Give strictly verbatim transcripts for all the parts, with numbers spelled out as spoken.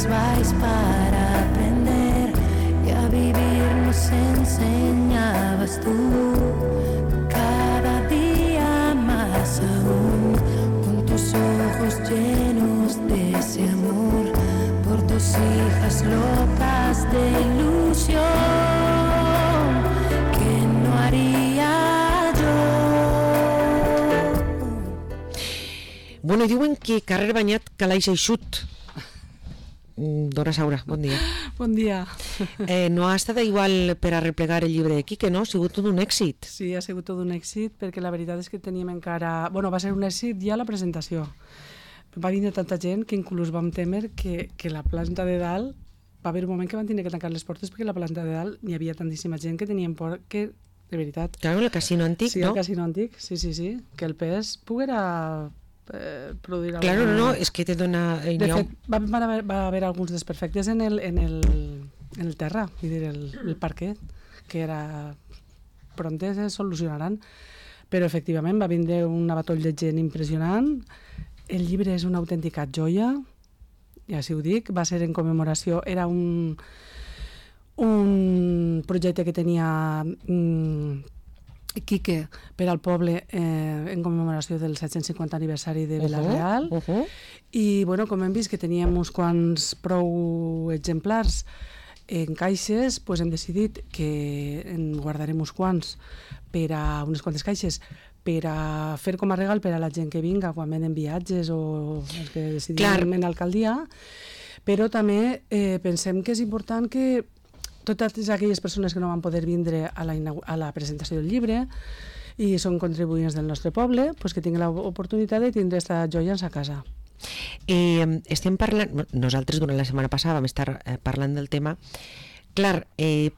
más vais para aprender, y a vivir nos enseñabas tú, cada día más aún, con tus ojos llenos de ese amor, por tus hijas locas de ilusión, que no haría yo. Bueno, diuen que carrer banyat calaix eixut. Dora Saura, bon dia. Bon dia. Eh, no ha estat igual per a replegar el llibre de Quique, no? Ha sigut tot un èxit. Sí, ha sigut tot un èxit, perquè la veritat és que teníem encara... Bueno, va ser un èxit ja la presentació. Va vindre tanta gent que inclús vam temer que, que la planta de dalt... Va haver un moment que van tenir que tancar les portes perquè la planta de dalt n'hi havia tantíssima gent que tenien por que, de veritat... Claro, el casino antic, sí, no? Sí, el casino antic, sí, sí, sí. Que el pes poguera... Eh, produir claro, alguna... no, no, és que te dona... Eh, de fet, va, va, haver, va haver alguns desperfectes en el, en el, en el terra, vull dir, el, el parquet, que era... Pronte se solucionaran, però efectivament va vindre un abatoll de gent impressionant. El llibre és una autèntica joia, ja si ho dic, va ser en commemoració, era un, un projecte que tenia... Mm, Quique per al poble eh, en commemoració del set-cents cinquanta aniversari de Vila-real. Uh -huh, uh -huh. I bueno, com hem vist que teníem uns quants prou exemplars en caixes, pues hem decidit que en guardarem uns quants per a unes quantes caixes per a fer com a regal per a la gent que vinga quan venen viatges o els que decidim en alcaldia, però també eh, pensem que és important que totes aquelles persones que no van poder vindre a la, a la presentació del llibre i són contribuents del nostre poble, pues que tinguin l'oportunitat de tindre aquesta joia en sa casa. Eh, estem parlant, nosaltres durant la setmana passada vam estar eh, parlant del tema. Clar, eh,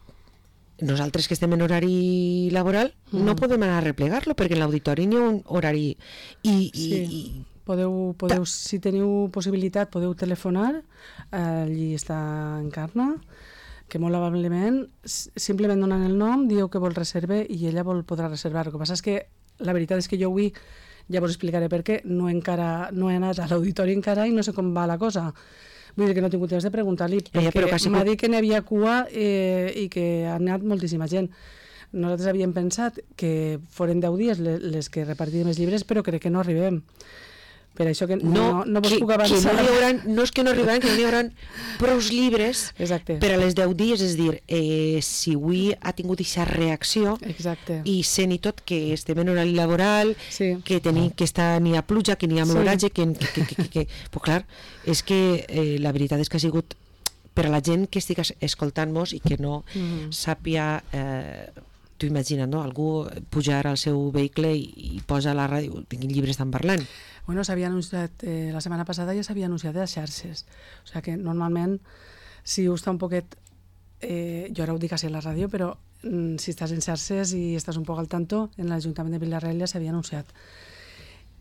nosaltres que estem en horari laboral mm. no podem anar a replegar-lo perquè en l'auditori n'hi ha un horari i... Sí. i, i podeu, podeu, si teniu possibilitat podeu telefonar, allí està Encarna, que molt amablement, simplement donant el nom, dieu que vol reservar i ella vol podrà reservar. El que passa és que la veritat és que jo avui, ja vos explicaré per què, no, encara, no he anat a l'auditori encara i no sé com va la cosa. Vull dir que no he tingut temps de preguntar-li, perquè eh, m'ha dit que n'hi havia cua eh, i que ha anat moltíssima gent. Nosaltres havíem pensat que foren deu dies les, les que repartíem els llibres, però crec que no arribem. Per això que no, no, no vos que, puc avançar. Que no, hauran, no és que no arribaran, que no hi haurà prous llibres Exacte. Per a les deu dies, és dir, eh, si avui ha tingut aquesta reacció Exacte. I sent i tot que estem en horari laboral, sí. que tenim que està ni a pluja, que ni a l'oratge, sí. que, que, que, que, que... Pues clar, és que eh, la veritat és que ha sigut per a la gent que estigui escoltant-nos i que no mm-hmm. sàpia... Eh, tu imagina't, no? Algú pujar al seu vehicle i, i posa a la ràdio, tinguin llibres estan parlant. Bueno, s'havia anunciat, eh, la setmana passada ja s'havia anunciat a les xarxes, o sigui que normalment si us està un poquet, eh, jo ara ho dic així a la ràdio, però mm, si estàs en xarxes i estàs un poc al tanto, en l'Ajuntament de Vila-real ja s'havia anunciat.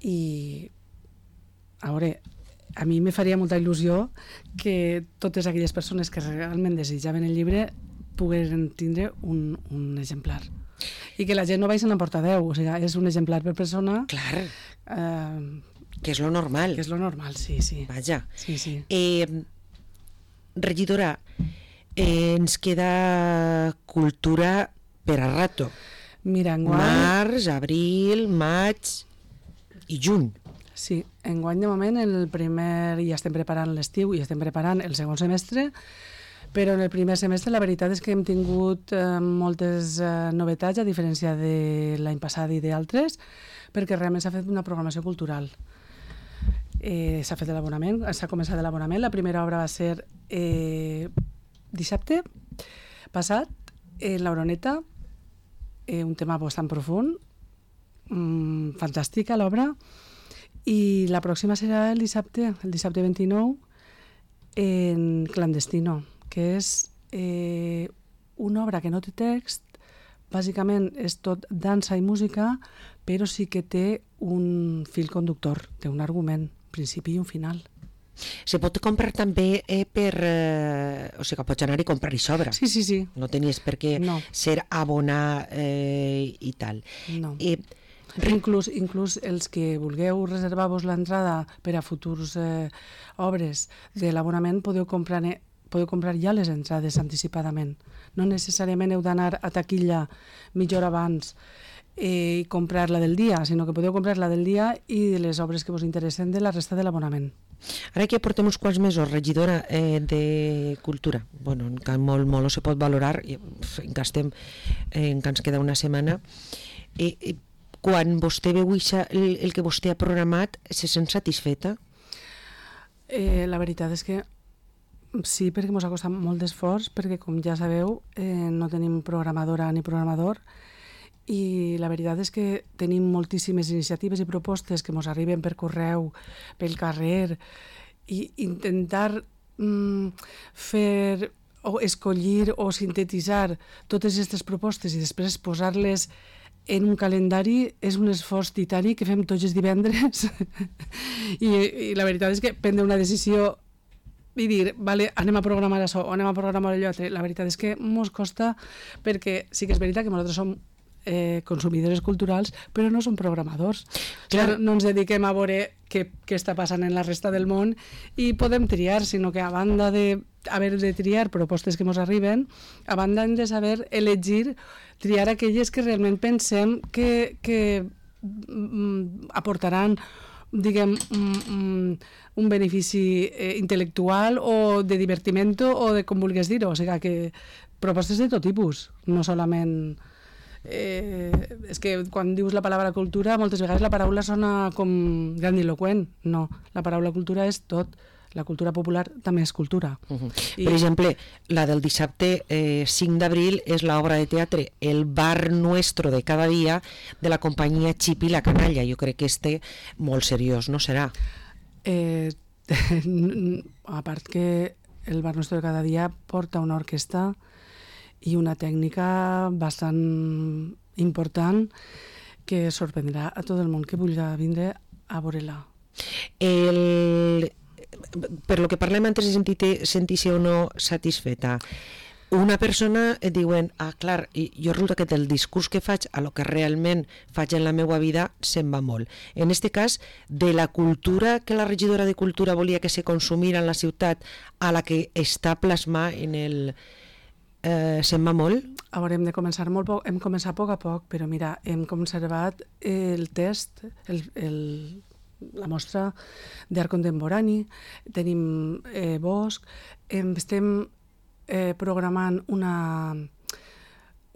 I, a veure, a mi me faria molta il·lusió que totes aquelles persones que realment desitjaven el llibre pogueren tindre un, un exemplar. I que la gent no vagin a portar deu, o sigui, és un exemplar per persona. Clar, eh, que és lo normal. Que és lo normal, sí, sí. Vaja. Sí, sí. Eh, regidora, eh, ens queda cultura per a rato. Mira, enguany... Març, abril, maig i juny. Sí, enguany de moment el primer, ja estem preparant l'estiu i estem preparant el segon semestre, però en el primer semestre la veritat és que hem tingut eh, moltes eh, novetats, a diferència de l'any passat i d'altres, perquè realment s'ha fet una programació cultural. Eh, s'ha fet l'abonament, s'ha començat l'abonament. La primera obra va ser eh, dissabte passat, en l'Oroneta, eh, un tema bastant profund, mm, fantàstica l'obra, i la pròxima serà el dissabte, el dissabte vint-i-nou, en Clandestino, que és eh, una obra que no té text, bàsicament és tot dansa i música, però sí que té un fil conductor, té un argument, principi i un final. Se pot comprar també eh, per... Eh, o sigui, que pots anar i comprar-hi sobra. Sí, sí, sí. No tenies per què no. ser abonar eh, i tal. No. Eh, Inclús, inclús els que vulgueu reservar-vos l'entrada per a futurs eh, obres de l'abonament, podeu comprar, podeu comprar ja les entrades anticipadament. No necessàriament heu d'anar a taquilla mitja hora abans i comprar la del dia, sinó que podeu comprar la del dia i les obres que vos interessen de la resta de l'abonament. Ara que portem uns quants mesos regidora eh, de Cultura, bueno, encara molt, molt se pot valorar, encara estem, eh, encara ens queda una setmana, eh, eh, quan vostè veu ixa, el, el que vostè ha programat, se sent satisfeta? Eh, la veritat és que sí, perquè ens ha costat molt d'esforç, perquè com ja sabeu eh, no tenim programadora ni programador, i la veritat és que tenim moltíssimes iniciatives i propostes que ens arriben per correu, pel carrer, i intentar mm, fer o escollir o sintetitzar totes aquestes propostes i després posar-les en un calendari és un esforç titani que fem tots els divendres I, i la veritat és que prendre una decisió i dir, vale, anem a programar això o anem a programar allò altre, la veritat és que ens costa, perquè sí que és veritat que nosaltres som Eh, consumidores culturals, però no som programadors. Clar, no ens dediquem a veure què, què està passant en la resta del món i podem triar, sinó que a banda d'haver de, de triar propostes que ens arriben, a banda hem de saber elegir, triar aquelles que realment pensem que, que mm, aportaran diguem, un, un benefici eh, intel·lectual o de divertimento o de com vulguis dir-ho, o sigui que propostes de tot tipus, no solament Eh, és que quan dius la paraula cultura moltes vegades la paraula sona com grandiloquent, no, la paraula cultura és tot, la cultura popular també és cultura. Uh-huh. I... Per exemple, la del dissabte eh, cinc d'abril és l'obra de teatre El bar nuestro de cada dia de la companyia Chip i la Canalla, jo crec que este molt seriós, no serà? Eh, a part que El bar nuestro de cada dia porta una orquestra i una tècnica bastant important que sorprendrà a tot el món que vulgui vindre a veure-la. El... Per lo que parlem antes de sentir-te sentir-se o no satisfeta, una persona et diuen, ah, clar, jo resulta que del discurs que faig a lo que realment faig en la meva vida se'n va molt. En este cas, de la cultura que la regidora de Cultura volia que se consumira en la ciutat a la que està plasmada en el... Eh, se'n va molt? A veure, hem de començar molt poc, hem començat a poc a poc, però mira, hem conservat el test, el, el, la mostra d'art contemporani, tenim eh, Bosch, em, estem eh, programant una,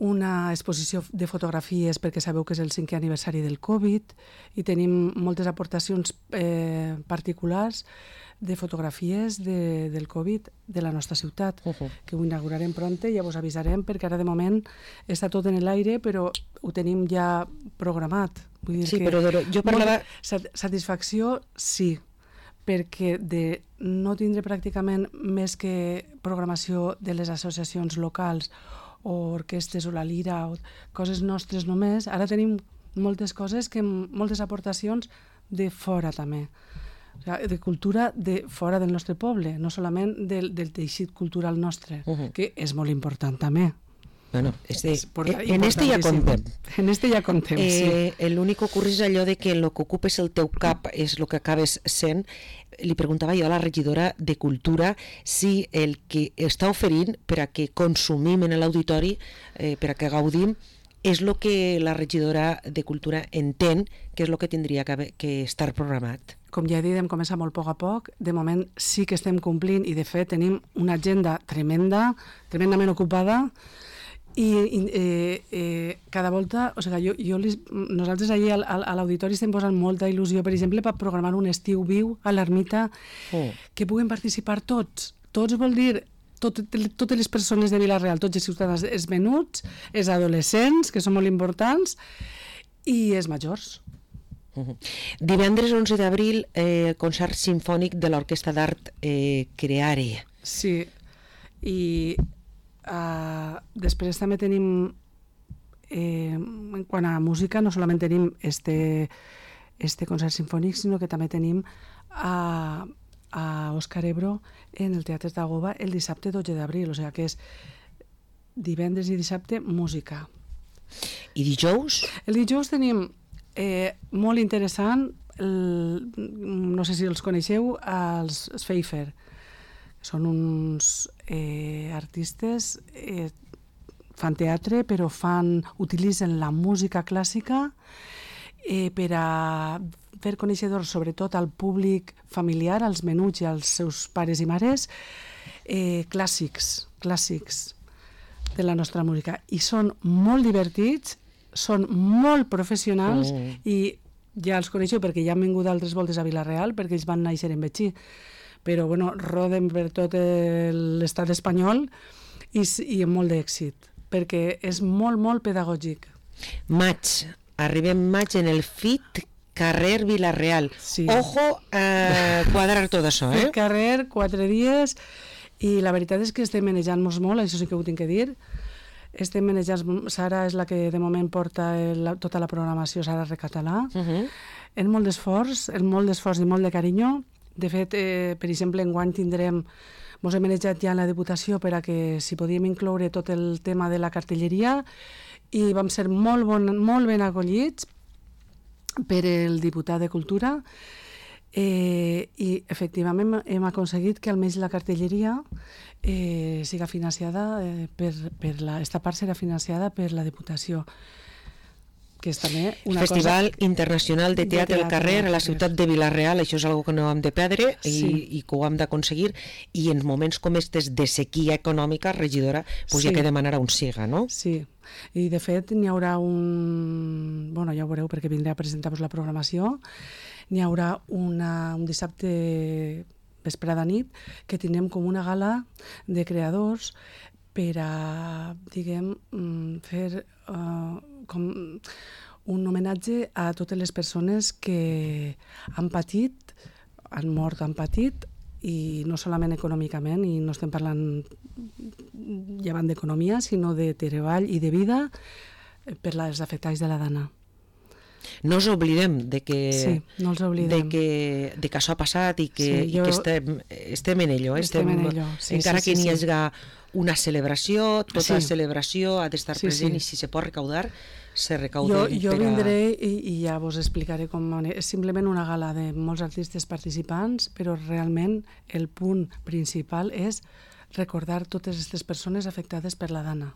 una exposició de fotografies perquè sabeu que és el cinquè aniversari del Covid i tenim moltes aportacions eh, particulars de fotografies de, del Covid de la nostra ciutat, uh-huh. que ho inaugurarem pronte, ja vos avisarem, perquè ara de moment està tot en l'aire, però ho tenim ja programat. Vull dir sí, que però jo parlava... Satisfacció, sí, perquè de no tindre pràcticament més que programació de les associacions locals o orquestes o la lira o coses nostres només, ara tenim moltes coses, que moltes aportacions de fora també. De cultura de fora del nostre poble, no solament del, del teixit cultural nostre, uh-huh. que és molt important també. Bueno, este, en este ja contem. En este ja contem, eh, sí. L'únic que ocorre és allò de que el que ocupes el teu cap és el que acabes sent. Li preguntava jo a la regidora de Cultura si el que està oferint per a que consumim en l'auditori, eh, per a que gaudim, és el que la regidora de Cultura entén que és el que tindria que, que estar programat. Com ja he dit, hem començat molt a poc a poc. De moment sí que estem complint i, de fet, tenim una agenda tremenda, tremendament ocupada, i eh, eh, cada volta, o sigui, jo, jo li, nosaltres allà a l'auditori estem posant molta il·lusió, per exemple, per programar un estiu viu a l'ermita, oh. que puguen participar tots. Tots vol dir tot, totes les persones de Vila-real, tots els ciutadans, els menuts, els adolescents, que són molt importants, i els majors. Uh-huh. Divendres onze d'abril, eh, concert simfònic de l'Orquestra d'Art eh, Creare. Sí, i uh, després també tenim, eh, en quant a música, no solament tenim este, este concert simfònic, sinó que també tenim a, a Òscar Ebro en el Teatre d'Agoba el dissabte dotze d'abril, o sigui que és divendres i dissabte música. I dijous? El dijous tenim eh, molt interessant, el, no sé si els coneixeu, els Pfeiffer. Són uns eh, artistes, eh, fan teatre, però fan, utilitzen la música clàssica eh, per a fer coneixedors, sobretot al públic familiar, als menuts i als seus pares i mares, eh, clàssics, clàssics de la nostra música. I són molt divertits, són molt professionals mm. i ja els coneixeu perquè ja han vingut altres voltes a Vila-real, perquè ells van néixer en Betxí. Però bueno, roden per tot l'estat espanyol i, i amb molt d'èxit, perquè és molt, molt pedagògic. Maig, arribem maig en el FIT Carrer Vila-real. Sí. Ojo a quadrar tot això, eh? FIT Carrer, quatre dies, i la veritat és que estem manejant-nos molt, això sí que ho tinc que dir. Estem manejant, Sara és la que de moment porta el, tota la programació, Sara Recatalà, uh -huh. en molt d'esforç, en molt d'esforç i molt de carinyo. De fet, eh, per exemple, enguany tindrem, mos hem manejat ja en la Diputació per a que si podíem incloure tot el tema de la cartelleria i vam ser molt, bon, molt ben acollits per el diputat de Cultura eh, i efectivament hem aconseguit que almenys la cartelleria eh, siga financiada eh, per, per la, esta part serà financiada per la Diputació, que és també una Festival cosa... Internacional de Teatre al Carrer a la ciutat de Vila-real. Això és una cosa que no hem de perdre i, sí. i que ho hem d'aconseguir, i en moments com estes de sequia econòmica, regidora, pues sí. hi ha que demanar a un siga, no? Sí, i de fet n'hi haurà un... bueno, ja ho veureu perquè vindré a presentar-vos la programació. N'hi haurà una, un dissabte vesprada nit que tindrem com una gala de creadors per a, diguem, fer uh, com un homenatge a totes les persones que han patit, han mort, han patit, i no solament econòmicament, i no estem parlant llevant d'economia, sinó de treball i de vida per als afectats de la dana. No ens oblidem de que, sí, no els oblidem. De que, de que això ha passat i que, sí, jo... i que estem, estem en ello. Estem, estem en ello. Sí, encara sí, que sí, n'hi sí. hagi una celebració, tota sí. celebració ha d'estar sí, present sí. i si se pot recaudar, se recauda. Jo, jo per a... vindré i, i ja vos explicaré com... És simplement una gala de molts artistes participants, però realment el punt principal és recordar totes aquestes persones afectades per la dana.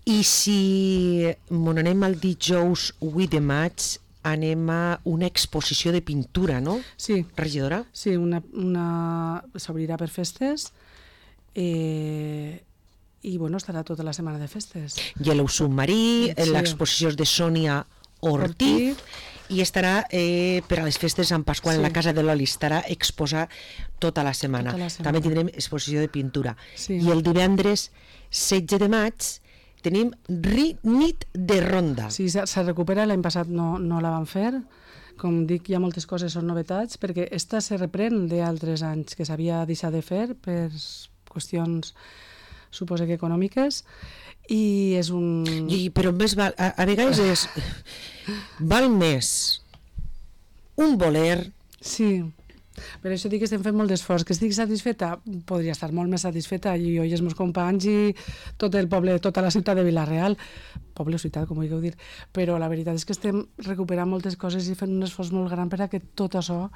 I si mon anem al dijous vuit de maig, anem a una exposició de pintura, no? Sí. Regidora? Sí, una, una... s'obrirà per festes eh... i bueno, estarà tota la setmana de festes. I a l'Ou Submarí, sí. l'exposició de Sònia Ortiz, Ortiz. I estarà eh, per a les festes de Sant Pasqual, sí. en la Casa de l'Oli, estarà exposar tota la setmana. Tota la setmana. També tindrem exposició de pintura. Sí. I el divendres setze de maig tenim nit de ronda. Sí, se recupera, l'any passat no, no la van fer. Com dic, hi ha moltes coses, són novetats, perquè esta se reprèn d'altres anys que s'havia deixat de fer per qüestions, suposo que econòmiques, i és un... I, però més val, a, a vegades és... val més un voler... Sí, per això dic que estem fent molt d'esforç. Que estic satisfeta? Podria estar molt més satisfeta, i jo i els meus companys i tot el poble, tota la ciutat de Vila-real, poble o ciutat, com vulgueu dir, però la veritat és que estem recuperant moltes coses i fent un esforç molt gran per a que tot això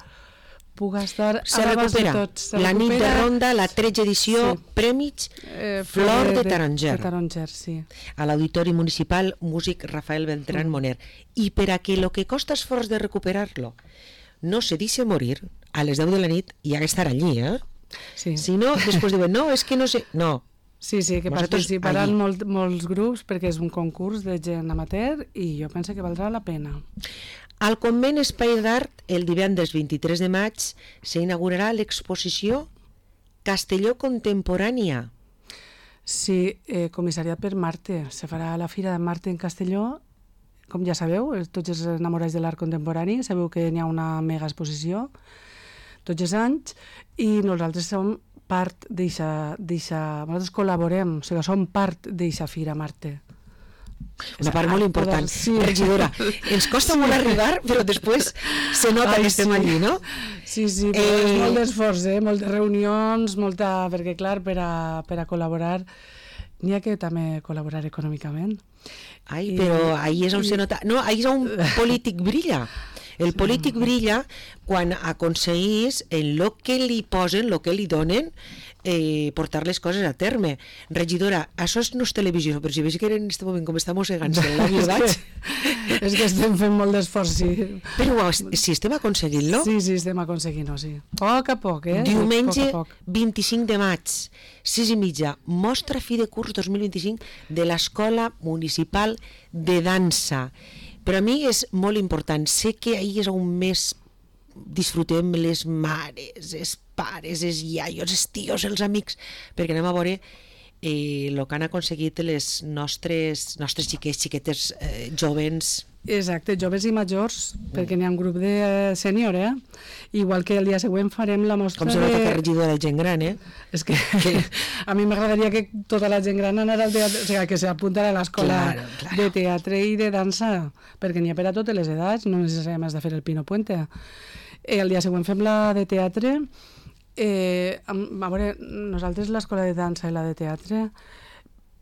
puga estar se a l'abast de tots. Se la recupera... nit de ronda, la tretze edició, sí. Premis eh, Flor de, de Taronger. De Taronger, sí. A l'Auditori Municipal Músic Rafael Beltrán mm. Moner. I per a que lo que costa esforç de recuperar-lo no se deixe morir, a les deu de la nit hi ha que estar allí, eh? Sí. Si no, després diuen, no, és que no sé... No. Sí, sí, que participaran molt, molts grups perquè és un concurs de gent amateur i jo penso que valdrà la pena. Al Convent Espai d'Art, el divendres vint-i-tres de maig, s'inaugurarà l'exposició Castelló Contemporània. Sí, eh, comissariat per Marte. Se farà la Fira de Marte en Castelló. Com ja sabeu, tots els enamorats de l'art contemporani, sabeu que n'hi ha una mega exposició tots els anys, i nosaltres som part d'eixa... Nosaltres col·laborem, o sigui, som part d'eixa Fira Marte. Una part molt important, sí. Regidora. Ens costa sí. molt arribar, però després se nota Ai, que estem sí. allí, no? Sí, sí, però eh... és molt d'esforç, eh? Moltes reunions, molta... perquè clar, per a, per a col·laborar n'hi ha que també col·laborar econòmicament. Ai, però ahí és on se nota... No, ahí és on polític brilla. El polític brilla quan aconseguís en lo que li posen, lo que li donen, eh, portar les coses a terme. Regidora, això no és televisió, però si veig que en aquest moment com està mossegant-se el labi, vaig... És que estem fent molt d'esforç, sí. Però si estem aconseguint-lo... Sí, sí, estem aconseguint-ho, sí. Poc a poc, eh? Diumenge poc a poc. vint-i-cinc de maig, sis i mitja, mostra fi de curs dos mil vint-i-cinc de l'Escola Municipal de Dansa. Per a mi és molt important. Sé que ahir és on més disfrutem les mares, els pares, els iaios, els tios, els amics, perquè anem a veure eh, el que han aconseguit les nostres, nostres xiquets, xiquetes eh, jovens. Exacte, joves i majors, perquè n'hi ha un grup de sènior, eh? Igual que el dia següent farem la mostra Com se nota que regidora de gent gran, eh? És que, que a mi m'agradaria que tota la gent gran anara al teatre, o sigui, que s'apuntara a l'escola claro, claro. de teatre i de dansa, perquè n'hi ha per a totes les edats, no necessàriament has de fer el Pino Puente. Eh, el dia següent fem la de teatre. Eh, a veure, nosaltres l'escola de dansa i la de teatre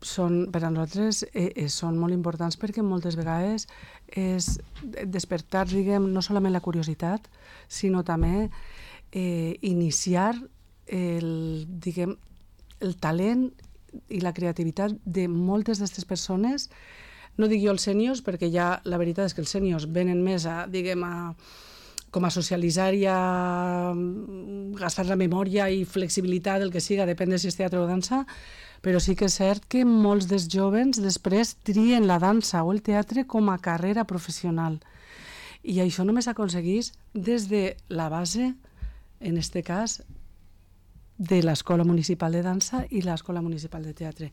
són, per a nosaltres eh, eh, són molt importants perquè moltes vegades és despertar, diguem, no solament la curiositat, sinó també eh, iniciar el, diguem, el talent i la creativitat de moltes d'aquestes persones. No dic jo els sèniors, perquè ja la veritat és que els sèniors venen més a, diguem, a, com a socialitzar i a gastar la memòria i flexibilitat, el que siga, depèn de si és teatre o dansa, però sí que és cert que molts dels jovens després trien la dansa o el teatre com a carrera professional. I això només s'aconsegueix des de la base, en aquest cas, de l'Escola Municipal de Dansa i l'Escola Municipal de Teatre.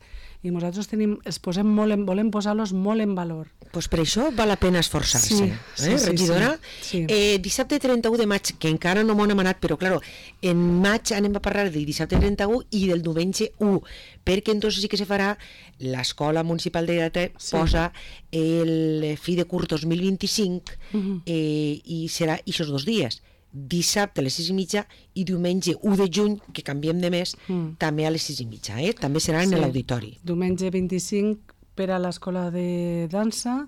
I nosaltres tenim, els posem molt en, volem posar-los molt en valor. Pues per això val la pena esforçar-se, sí, eh, sí, regidora? Sí, sí. Eh, dissabte trenta-u de maig, que encara no m'ho hem anat, però claro, en maig anem a parlar del dissabte trenta-u i del diumenge u, perquè entonces sí que se farà l'Escola Municipal de Teatre, sí. Posa el fi de curs dos mil vint-i-cinc uh-huh. eh, i serà aquests dos dies. Dissabte a les sis i mitja i diumenge u de juny, que canviem de mes, mm. també a les sis i mitja, eh? També serà en sí. l'auditori. Diumenge vint-i-cinc per a l'Escola de Dansa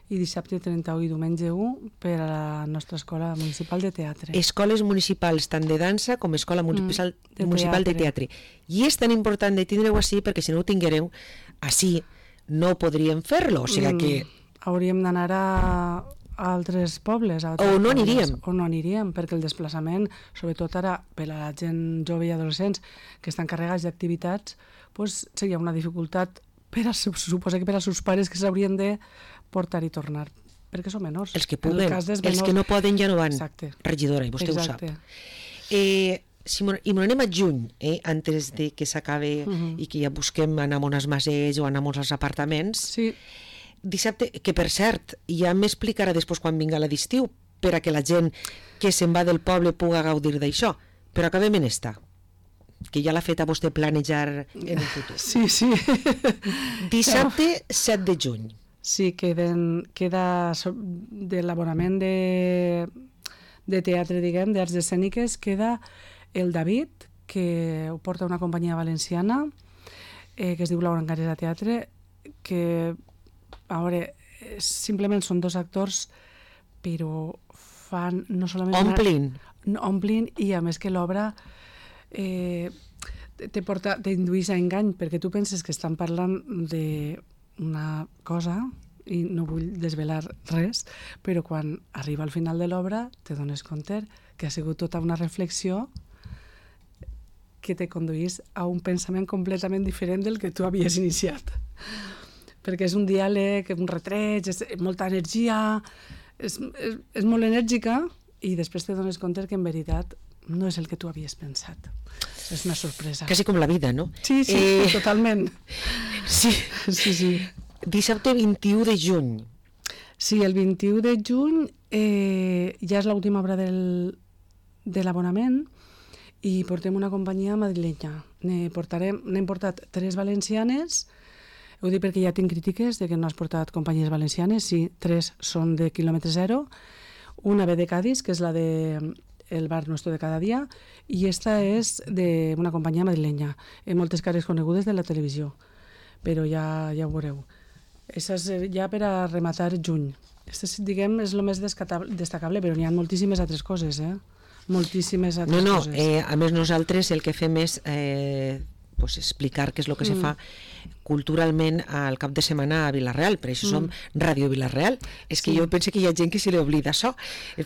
i dissabte trenta-u i diumenge u per a la nostra Escola Municipal de Teatre. Escoles municipals tant de dansa com Escola Municipal, mm, de, municipal teatre. de Teatre. I és tan important de tindre-ho així perquè si no ho tinguereu així no podríem fer-lo, o sigui mm, que... Hauríem d'anar a... a altres pobles. A o no aniríem. Pobles, o no aniríem, perquè el desplaçament, sobretot ara per a la gent jove i adolescents que estan carregats d'activitats, pues, seria una dificultat per a, suposa que per als seus pares que s'haurien de portar i tornar, perquè són menors. Els que puguen, els menors... que no poden ja no van. Exacte. Regidora, i vostè Exacte. Ho sap. Eh, si I m'ho anem a juny, eh, antes de que s'acabe uh-huh. i que ja busquem anar a unes mases o anar a uns apartaments. Sí. Dissabte, que per cert, ja m'explicarà després quan vinga la d'estiu, per a que la gent que se'n va del poble puga gaudir d'això. Però acabem en esta, que ja l'ha fet a vostè planejar en el futur. Sí, sí. Dissabte set de juny. Sí, queden, queda de l'abonament de, de teatre, diguem, d'arts escèniques, queda el David, que ho porta una companyia valenciana, eh, que es diu Laura Encarés a Teatre, que... A veure, simplement són dos actors, però fan no solament... Omplin. Una, omplin, i a més que l'obra eh, te porta, t'induís a engany, perquè tu penses que estan parlant d'una cosa, i no vull desvelar res, però quan arriba al final de l'obra te dones compte que ha sigut tota una reflexió que te conduís a un pensament completament diferent del que tu havies iniciat. Perquè és un diàleg, un retreig, és molta energia, és, és, és molt enèrgica i després te dones compte que en veritat no és el que tu havies pensat. És una sorpresa. Quasi com la vida, no? Sí, sí, eh... totalment. Sí. Sí, sí. Dissabte vint-i-u de juny. Sí, el vint-i-u de juny eh, ja és l'última obra del, de l'abonament i portem una companyia madrilenya. Ne portarem, n'hem portat tres valencianes. Ho dic perquè ja tinc crítiques de que no has portat companyies valencianes. Sí, tres són de quilòmetre zero. Una ve de Cádiz, que és la de El bar nuestro de cada dia, i esta és d'una companyia madrilenya. Hi ha moltes cares conegudes de la televisió, però ja, ja ho veureu. Això és ja per a rematar juny. Això, diguem, és el més destacable, però n'hi ha moltíssimes altres coses, eh? Moltíssimes altres no, no, coses. Eh, a més nosaltres el que fem és eh, pues explicar què és el que mm. se fa culturalment al cap de setmana a Vila-real, per això mm. som Ràdio Vila-real. És que sí. Jo penso que hi ha gent que se li oblida això,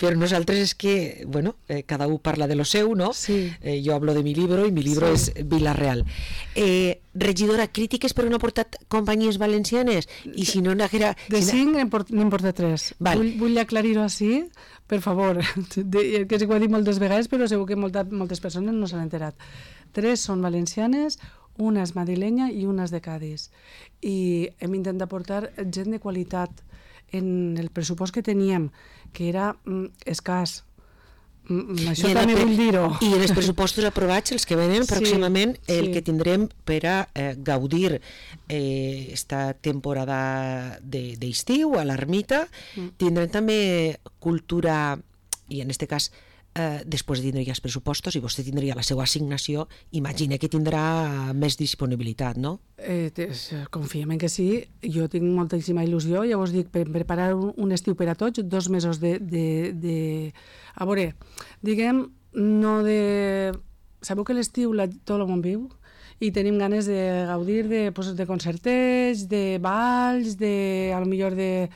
però nosaltres és que, bueno, eh, cada un parla de lo seu, no? Sí. Eh, jo hablo de mi libro i mi libro sí. és Vila-real. Eh, regidora, crítiques per on ha portat companyies valencianes? I si no n'haguera... De si cinc n'hem portat tres. Val. Vull, vull aclarir-ho així, per favor, de, que ho he dit moltes vegades, però segur que molta, moltes persones no s'han enterat. Tres són valencianes, una és madrilenya i una és de Cádiz. I hem intentat portar gent de qualitat en el pressupost que teníem, que era mm, escàs. Mm, això també vull dir-ho. I en els pressupostos aprovats, els que venen pròximament, sí, el sí. que tindrem per a eh, gaudir eh, esta temporada d'estiu de, a l'Ermita, mm. tindrem també cultura, i en aquest cas Eh, després de tindre ja els pressupostos i vostè tindria la seva assignació, imagina que tindrà més disponibilitat, no? Eh, confiem en que sí, jo tinc moltíssima il·lusió, ja us dic, per preparar un, un estiu per a tots, dos mesos de... de, de... A veure, diguem, no de... Sabeu que l'estiu tot el món viu i tenim ganes de gaudir de, pues, de concertets, de balls, de, a lo millor de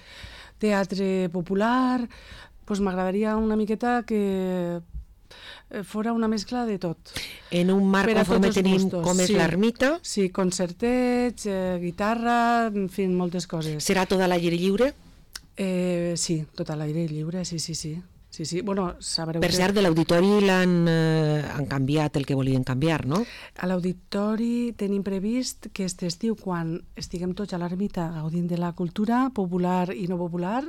teatre popular... Pues m'agradaria una miqueta que fora una mescla de tot. En un marc conforme tenim gustos. Com és sí. l'Ermita? Sí, concertets, eh, guitarra, en fi, moltes coses. Serà tot a l'aire lliure? Eh, sí, tot a l'aire lliure, sí, sí, sí. sí, sí. Bueno, sabreu per que... cert, de l'auditori l'han eh, han canviat el que volien canviar, no? A l'auditori tenim previst que aquest estiu, quan estiguem tots a l'Ermita gaudint de la cultura popular i no popular,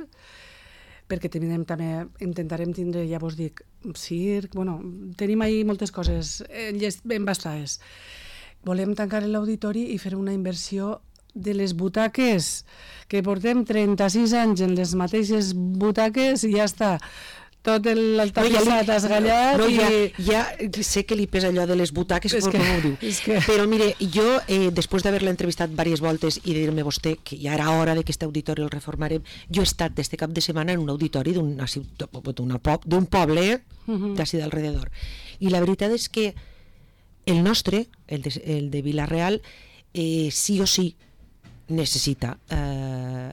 perquè tenim, també intentarem tindre, ja vos dic, circ, bueno, tenim ahí moltes coses ben bastades. Volem tancar l'auditori i fer una inversió de les butaques, que portem trenta-sis anys en les mateixes butaques i ja està. Tot el tapissat no, esgallat no, i... ja, ja sé que li pesa allò de les butaques, és com que, ho diu. Que... Però mire, jo, eh, després d'haver-la entrevistat diverses voltes i dir-me vostè que ja era hora de que aquest auditori el reformarem, jo he estat d'este cap de setmana en un auditori d'un poble uh-huh. d'ací d'alrededor. I la veritat és que el nostre, el de, el de Vila-real, eh, sí o sí necessita... Eh,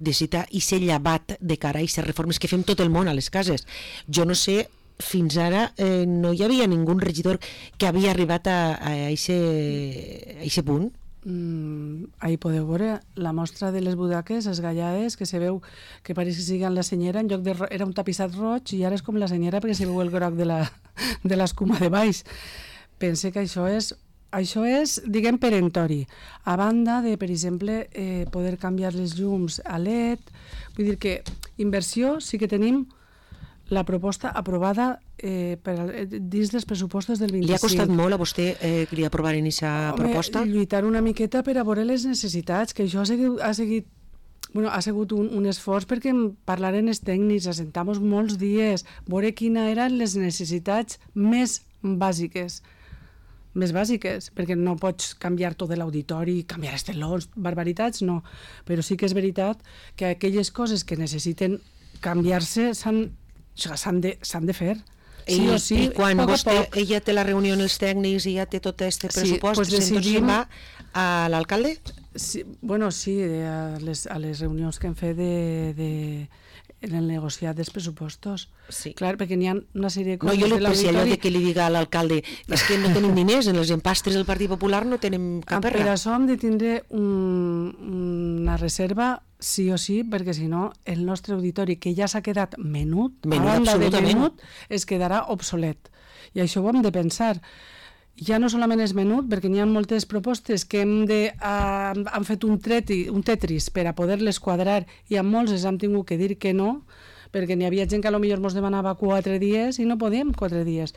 necessita i ser llevat de cara a aquestes reformes que fem tot el món a les cases. Jo no sé, fins ara eh, no hi havia ningú regidor que havia arribat a aquest punt. Mm, ahí podeu veure la mostra de les budaques esgallades, que se veu que pareix que siguen la senyera, en lloc de era un tapissat roig i ara és com la senyera perquè se veu el groc de la de l'escuma de baix. Pense que això és Això és, diguem, perentori. A banda de, per exemple, eh, poder canviar les llums a L E D, vull dir que inversió sí que tenim la proposta aprovada eh, per, eh, dins dels pressupostos del vint-i-cinc. Li ha costat molt a vostè eh, que li aprovaran aquesta proposta? Lluitar una miqueta per a veure les necessitats, que això ha seguit, ha seguit Bueno, ha sigut un, un esforç perquè parlaren els tècnics, assentam molts dies, veure quines eren les necessitats més bàsiques. més bàsiques, perquè no pots canviar tot l'auditori, canviar estelons, barbaritats, no. Però sí que és veritat que aquelles coses que necessiten canviar-se s'han de, s'han de fer. Sí I, o sí, i quan poc vostè, poc. ella té la reunió amb els tècnics i ja té tot aquest pressupost, Sí, pues decidim... va a l'alcalde? Sí, bueno, sí, a les, a les reunions que hem fet de, de, en el negociat dels pressupostos. Sí. Clar, perquè n'hi ha una sèrie de coses... No, jo li penso allò de que li diga a l'alcalde és que no tenim diners, en els empastres del Partit Popular no tenim cap Per això hem de tindre un, una reserva sí o sí, perquè si no el nostre auditori, que ja s'ha quedat menut, menut a banda de menut, absolutament. es quedarà obsolet. I això ho hem de pensar. Ja no solament és menut, perquè n'hi ha moltes propostes que hem de, uh, han fet un, treti, un tetris per a poder-les quadrar i amb molts els hem tingut que dir que no, perquè n'hi havia gent que potser ens demanava quatre dies i no podíem quatre dies,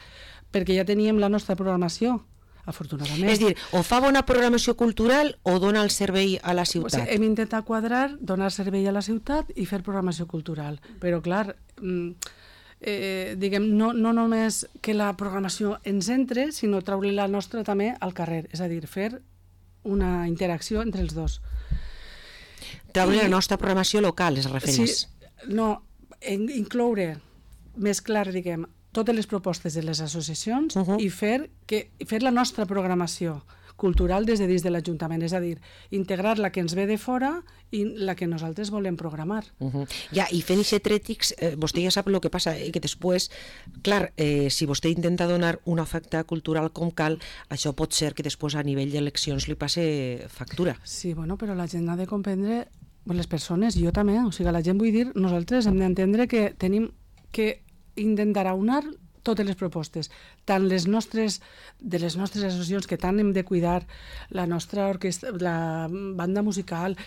perquè ja teníem la nostra programació, afortunadament. És dir, o fa bona programació cultural o dona el servei a la ciutat. Pues hem intentat quadrar, donar servei a la ciutat i fer programació cultural, però clar... Mm, Eh, diguem, no, no només que la programació ens entre, sinó treure la nostra també al carrer, és a dir, fer una interacció entre els dos. Treure la nostra programació local, es refereix. Sí, no, en, incloure més clar, diguem, totes les propostes de les associacions uh-huh. i fer, que, fer la nostra programació cultural des de dins de l'Ajuntament, és a dir, integrar la que ens ve de fora i la que nosaltres volem programar. Uh-huh. Ja, i fent aquest trètics, eh, vostè ja sap el que passa, eh, que després, clar, eh, si vostè intenta donar una oferta cultural com cal, això pot ser que després a nivell d'eleccions li passe factura. Sí, bueno, però la gent ha de comprendre, les persones, jo també, o sigui, la gent, vull dir, nosaltres hem d'entendre que tenim que intentar aunar totes les propostes, tant les nostres, de les nostres associacions, que tant hem de cuidar, la nostra orquestra, la banda musical,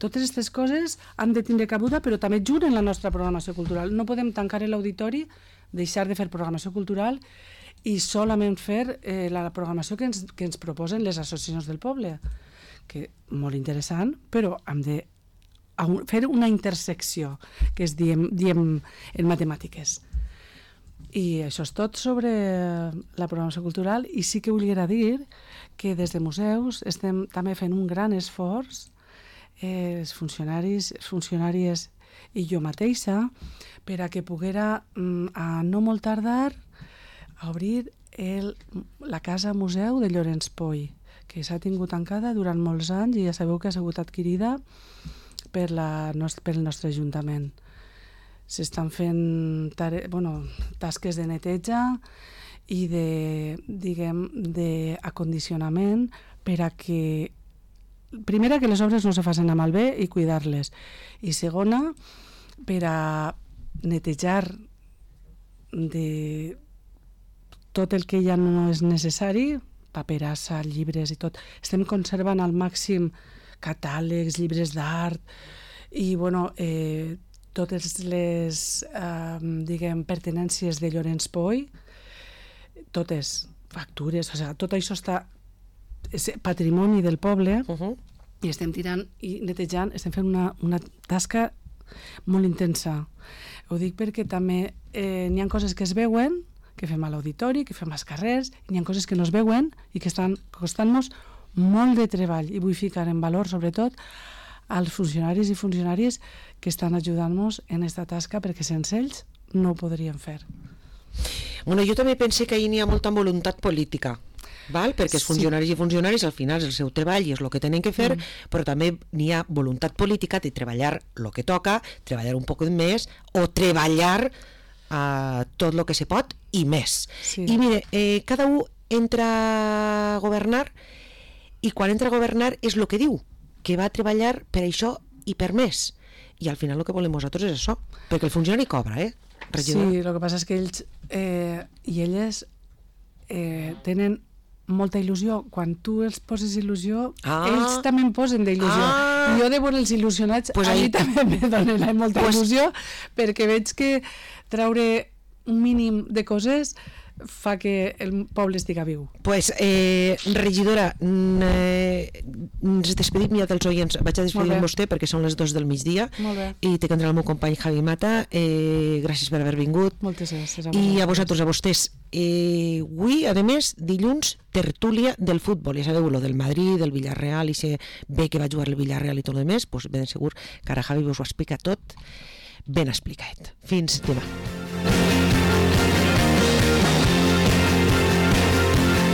totes aquestes coses han de tindre cabuda, però també junt en la nostra programació cultural. No podem tancar l'auditori, deixar de fer programació cultural i solament fer eh, la programació que ens, que ens proposen les associacions del poble, que molt interessant, però hem de fer una intersecció, que es diem, diem en matemàtiques. I això és tot sobre la programació cultural, i sí que volia dir que des de museus estem també fent un gran esforç, eh, els funcionaris, funcionàries i jo mateixa, per a que poguera, a no molt tardar, a obrir el, la Casa Museu de Llorenç Poy, que s'ha tingut tancada durant molts anys i ja sabeu que ha sigut adquirida per la, pel nostre Ajuntament. S'estan fent tare, bueno, tasques de neteja i de, diguem, d'acondicionament per a que, primera, que les obres no se facin a malbé i cuidar-les, i segona, per a netejar de tot el que ja no és necessari, paperassa, llibres i tot. Estem conservant al màxim catàlegs, llibres d'art i, bueno, eh, totes les, eh, diguem, pertinències de Llorenç Poy, totes, factures, o sigui, tot això està, és patrimoni del poble, uh-huh. i estem tirant i netejant, estem fent una, una tasca molt intensa. Ho dic perquè també eh, n'hi ha coses que es veuen, que fem a l'auditori, que fem als carrers, i n'hi ha coses que no es veuen i que estan costant-nos molt de treball, i vull ficar en valor, sobretot, als funcionaris i funcionàries que estan ajudant-nos en aquesta tasca, perquè sense ells no ho podríem fer. Bueno, jo també pense que ahir n'hi ha molta voluntat política, val? Perquè els funcionaris sí. i funcionaris al final és el seu treball i és el que tenen que fer, mm. però també n'hi ha voluntat política de treballar el que toca, treballar un poc més o treballar uh, tot el que se pot i més. Sí. I mire, eh, cada un entra a governar i quan entra a governar és el que diu, que va treballar per això i per més. I al final el que volem nosaltres és això, perquè el funcionari cobra, eh? Regidor. Sí, el que passa és que ells eh, i elles eh, tenen molta il·lusió. Quan tu els poses il·lusió, ah. ells també en posen d'il·lusió. Ah. I jo de veure'ls il·lusionats, pues a mi també me donen molta pues... il·lusió, perquè veig que traure un mínim de coses fa que el poble estiga viu. Pues, eh, regidora, eh, ens despedim ja dels oients. Vaig a despedir amb vostè perquè són les dos del migdia i té que entrar el meu company Javi Mata. Eh, gràcies per haver vingut. Moltes gràcies. A I a vosaltres, a vostès. Eh, avui, a més, dilluns, tertúlia del futbol. Ja sabeu, lo del Madrid, del Villarreal, i se ve que va jugar el Villarreal i tot el més, pues ben segur que ara Javi us ho explica tot ben explicat. Fins demà.